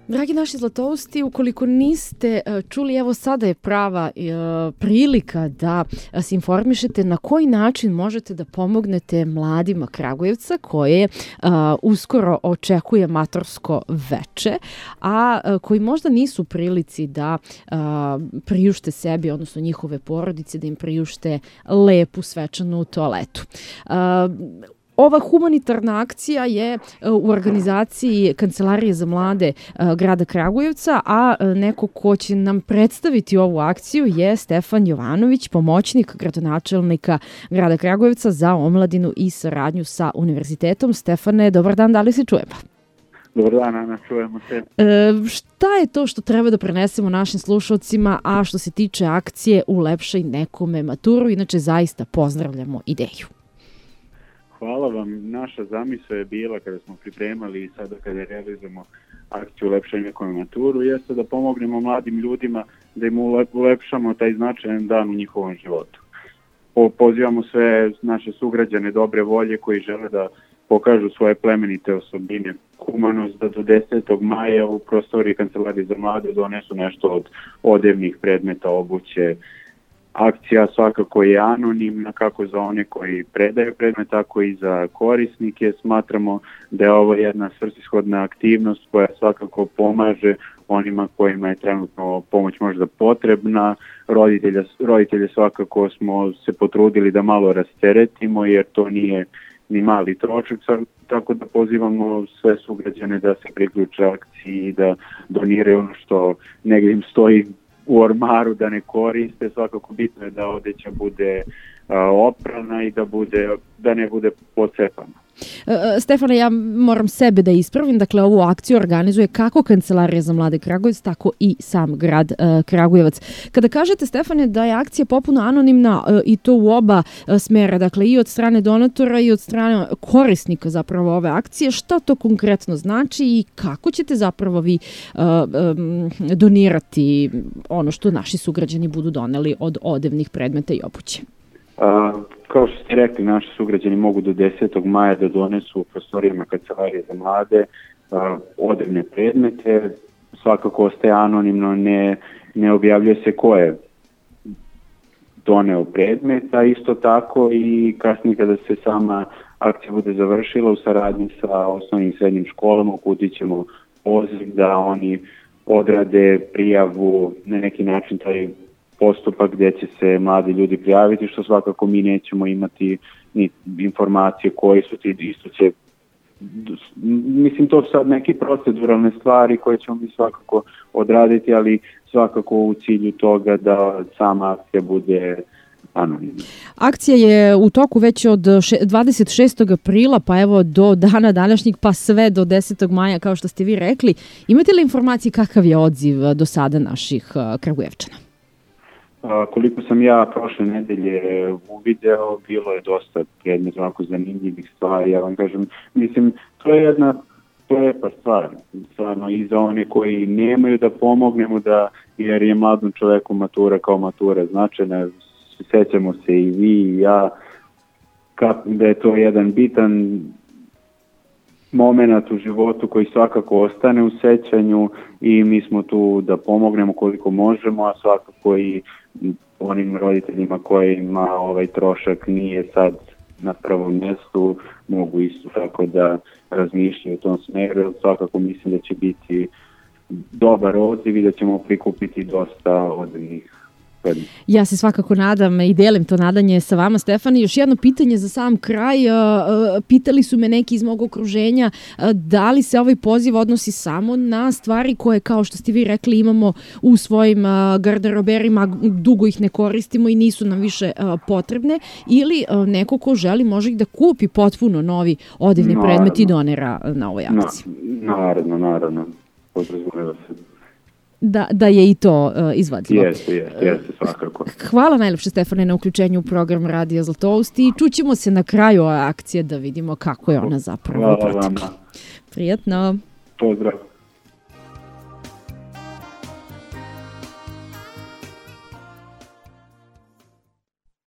Dragi naši zlatousti, ukoliko niste čuli, evo sada je prava prilika da se informišete na koji način možete da pomognete mladima Kragujevca koje uskoro očekuje matorsko veče, a koji možda nisu u prilici da priušte sebi, odnosno njihove porodice, da im priušte lepu svečanu toaletu. Ova humanitarna akcija je u organizaciji Kancelarije za mlade grada Kragujevca, a neko ko će nam predstaviti ovu akciju je Stefan Jovanović, pomoćnik gradonačelnika grada Kragujevca za omladinu i saradnju sa univerzitetom. Stefane, dobar dan, da li se čujemo? Dobar dan, Ana, čujemo se. Šta je to što treba da prenesemo našim slušalcima, a što se tiče akcije Ulepšaj nekome maturu? Inače, zaista pozdravljamo ideju. Hvala vam. Naša zamisao je bila kada smo pripremali i sada kada realizujemo akciju Ulepšaj nekome maturu, jeste da pomognemo mladim ljudima, da im ulepšamo taj značajan dan u njihovom životu. Pozivamo sve naše sugrađane dobre volje koji žele da pokažu svoje plemenite osobine, humanost, da do 10. maja u prostoriji Kancelarije za mlade donesu nešto od odevnih predmeta, obuće. Akcija svakako je anonimna, kako za one koji predaju predmet, tako i za korisnike. Smatramo da je ovo jedna svrsishodna aktivnost koja svakako pomaže onima kojima je trenutno pomoć možda potrebna. Roditelje svakako smo se potrudili da malo rasteretimo, jer to nije ni mali trošak, tako da pozivamo sve sugrađane da se priključe akciji i da doniraju ono što negdje im stoji u ormaru, da ne koriste. Svakako bitno je da odeća bude oprana i da ne bude pocepana. Stefane, ja moram sebe da ispravim, dakle ovu akciju organizuje kako Kancelarija za mlade Kragujevac, tako i sam grad Kragujevac. Kada kažete, Stefane, da je akcija popuno anonimna i to u oba smera, dakle i od strane donatora i od strane korisnika zapravo ove akcije, šta to konkretno znači i kako ćete zapravo vi donirati ono što naši sugrađani budu doneli od odevnih predmeta i obuće? Kao što ste rekli, naši sugrađani mogu do 10. maja da donesu u prostorijama Kancelarije za mlade odevne predmete. Svakako ostaje anonimno, ne objavljuje se ko je doneo predmet, a isto tako i kasnije kada se sama akcija bude završila u saradnji sa osnovnim i srednjim školama, uputit ćemo poziv da oni odrade prijavu, na neki način taj postupak gdje će se mladi ljudi prijaviti, što svakako mi nećemo imati ni informacije koji su ti, isto će, mislim, to su sad neke proceduralne stvari koje ćemo mi svakako odraditi, ali svakako u cilju toga da sama akcija bude anonimna. Akcija je u toku već od 26. aprila, pa evo do dana današnjeg, pa sve do 10. maja, kao što ste vi rekli. Imate li informacije kakav je odziv do sada naših Kragujevčana? Koliko sam ja prošle nedelje uvideo, bilo je dosta predmeta ovako zanimljivih stvari. Ja vam kažem, mislim, to je jedna lepa stvar. Stvarno i za one koji nemaju da pomognemo, jer je mladom čoveku matura kao matura značajna. Sećamo se i vi i ja da je to jedan bitan moment u životu koji svakako ostane u sećanju i mi smo tu da pomognemo koliko možemo, a svakako i onim roditeljima kojima ovaj trošak nije sad na prvom mjestu, mogu isto tako da razmišljaju u tom smeru. Svakako mislim da će biti dobar odziv i da ćemo prikupiti dosta odrednih. Ja se svakako nadam i delim to nadanje sa vama, Stefani. Još jedno pitanje za sam kraj. Pitali su me neki iz mog okruženja da li se ovaj poziv odnosi samo na stvari koje, kao što ste vi rekli, imamo u svojim garderoberima, dugo ih ne koristimo i nisu nam više potrebne, ili neko ko želi može ih da kupi potpuno novi odevni predmet i donira na ovoj akciji. Naravno. Podrazumeva se. Da je i to izvadljivo. Jeste, svakako. Hvala najlepše, Stefane, na uključenju u program Radija Zlatousti i čućemo se na kraju ove akcije da vidimo kako je ona zapravo protekla. Hvala vama. Prijetno. Pozdrav.